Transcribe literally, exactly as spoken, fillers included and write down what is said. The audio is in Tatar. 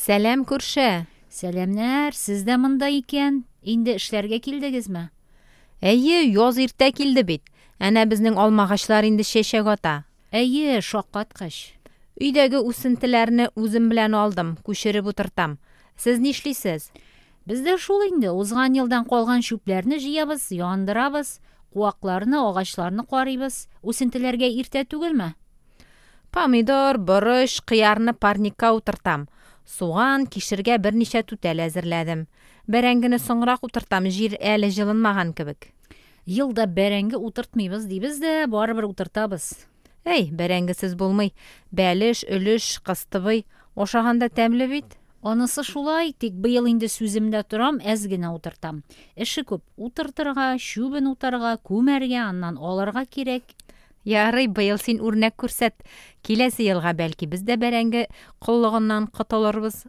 Сәлам, күрше! Сәламнәр, сез дә монда икән. Инде эшләргә килдегезме? Әйе, яз иртә килде бит. Әнә безнең алмагачлар инде чәчәк ата. Әйе, шаккаткыч. Өйдәге үсентеләрне үзем белән алдым, күчереп утыртам. Сез нишлисез? Без дә шул инде, узган елдан калган чүпләрне җыябыз, яндырабыз, куакларны, агачларны карыйбыз. Үсентеләргә иртә түгелме? Помидор, борыч, кыярны парникка утыртам. Суган, кишергә берничә түтәл әзерләдем. Бәрәңгене соңрак утыртам, җир әле җылынмаган кебек. Ел да бәрәңге утыртмыйбыз дибез дә, барыбер утыртабыз. Әй, бәрәңгесез булмый. Бәлеш, өлеш, кыстыбый. Ашаганда тәмле бит. Анысы шулай, тик быел инде сүземдә торам, әз генә утыртам. Эше күп: утыртырга, чүбен утарга, күмәргә, аннан алырга кирәк. Ярый, быел син үрнәк күрсәт. Киләсе елга бәлки без дә бәрәңге коллыгыннан котылырбыз.